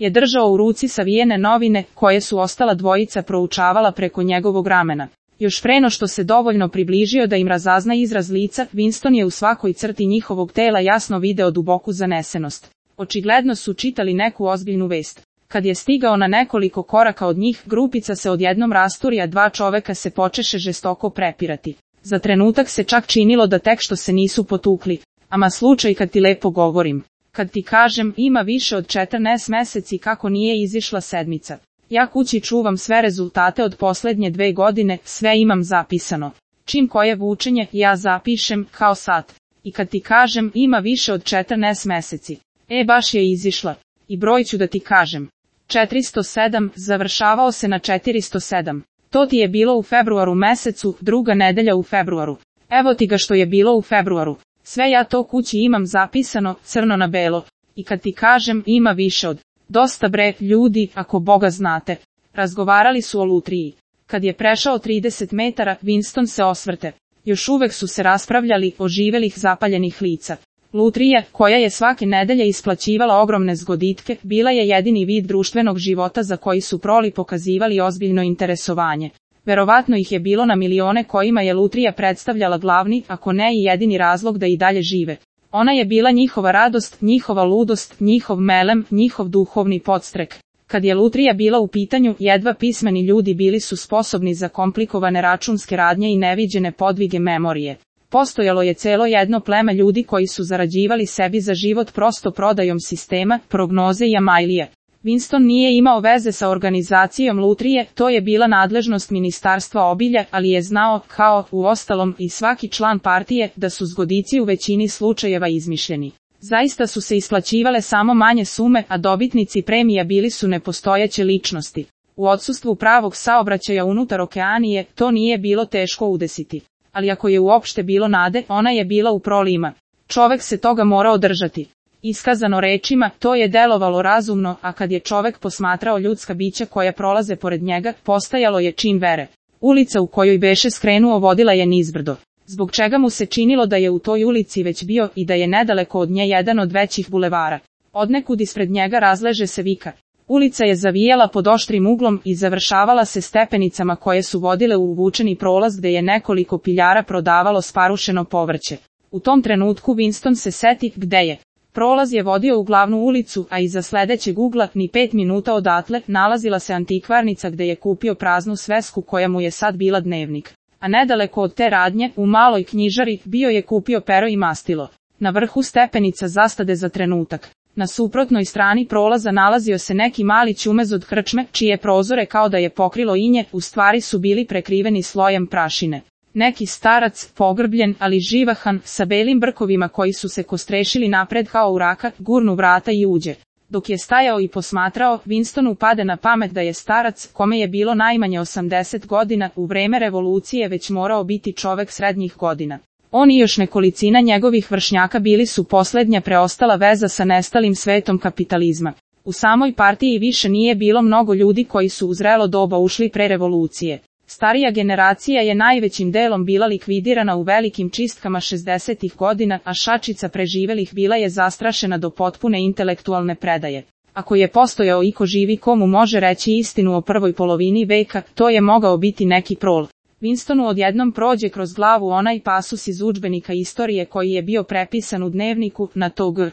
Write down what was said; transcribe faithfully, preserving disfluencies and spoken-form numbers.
je držao u ruci savijene novine, koje su ostala dvojica proučavala preko njegovog ramena. Još preno što se dovoljno približio da im razazna izraz lica, Winston je u svakoj crti njihovog tela jasno video duboku zanesenost. Očigledno su čitali neku ozbiljnu vest. Kad je stigao na nekoliko koraka od njih, grupica se odjednom rasturi, a dva čoveka se počeše žestoko prepirati. Za trenutak se čak činilo da tek što se nisu potukli. Ama slučaj kad ti lepo govorim. Kad ti kažem, ima više od četrnaest meseci kako nije izišla sedmica. Ja kući čuvam sve rezultate od posljednje dve godine, sve imam zapisano. Čim koje vučenje, ja zapišem, kao sat. I kad ti kažem, ima više od četrnaest meseci. E, baš je izišla. I broj ću da ti kažem. četiristo sedam, završavao se na četiristo sedam. To ti je bilo u februaru mesecu, druga nedelja u februaru. Evo ti ga što je bilo u februaru. Sve ja to kući imam zapisano, crno na belo. I kad ti kažem, ima više od. Dosta bre, ljudi, ako Boga znate. Razgovarali su o lutriji. Kad je prešao trideset metara, Winston se osvrte. Još uvek su se raspravljali o živelih zapaljenih lica. Lutrija, koja je svake nedelje isplaćivala ogromne zgoditke, bila je jedini vid društvenog života za koji su proli pokazivali ozbiljno interesovanje. Verovatno ih je bilo na milione kojima je lutrija predstavljala glavni, ako ne i jedini razlog da i dalje žive. Ona je bila njihova radost, njihova ludost, njihov melem, njihov duhovni podstrek. Kad je lutrija bila u pitanju, jedva pismeni ljudi bili su sposobni za komplikovane računske radnje i neviđene podvige memorije. Postojalo je celo jedno pleme ljudi koji su zarađivali sebi za život prosto prodajom sistema, prognoze i amajlije. Winston nije imao veze sa organizacijom lutrije, to je bila nadležnost Ministarstva obilja, ali je znao, kao, uostalom, i svaki član partije, da su zgodici u većini slučajeva izmišljeni. Zaista su se isplaćivale samo manje sume, a dobitnici premija bili su nepostojeće ličnosti. U odsustvu pravog saobraćaja unutar okeanije, to nije bilo teško udesiti. Ali ako je uopšte bilo nade, ona je bila u prolima. Čovek se toga morao držati. Iskazano rečima, to je delovalo razumno, a kad je čovek posmatrao ljudska bića koja prolaze pored njega, postajalo je čin vere. Ulica u kojoj beše skrenuo vodila je nizbrdo. Zbog čega mu se činilo da je u toj ulici već bio i da je nedaleko od nje jedan od većih bulevara. Odnekud ispred njega razleže se vika. Ulica je zavijala pod oštrim uglom i završavala se stepenicama koje su vodile u uvučeni prolaz gde je nekoliko piljara prodavalo sparušeno povrće. U tom trenutku Winston se seti gde je. Prolaz je vodio u glavnu ulicu, a iza sledećeg ugla, ni pet minuta odatle, nalazila se antikvarnica gde je kupio praznu svesku koja mu je sad bila dnevnik. A nedaleko od te radnje, u maloj knjižari, bio je kupio pero i mastilo. Na vrhu stepenica zastade za trenutak. Na suprotnoj strani prolaza nalazio se neki mali ćumez od krčme, čije prozore kao da je pokrilo inje, u stvari su bili prekriveni slojem prašine. Neki starac, pogrbljen, ali živahan, sa belim brkovima koji su se kostrešili napred kao uraka, gurnu vrata i uđe. Dok je stajao i posmatrao, Winstonu pade na pamet da je starac, kome je bilo najmanje osamdeset godina, u vreme revolucije već morao biti čovek srednjih godina. On i još nekolicina njegovih vršnjaka bili su posljednja preostala veza sa nestalim svetom kapitalizma. U samoj partiji više nije bilo mnogo ljudi koji su u zrelo doba ušli pre revolucije. Starija generacija je najvećim delom bila likvidirana u velikim čistkama šezdesetih godina, a šačica preživelih bila je zastrašena do potpune intelektualne predaje. Ako je postojao iko živi komu može reći istinu o prvoj polovini veka, to je mogao biti neki prol. Winstonu odjednom prođe kroz glavu onaj pasus iz udžbenika istorije koji je bio prepisan u dnevniku, na to G.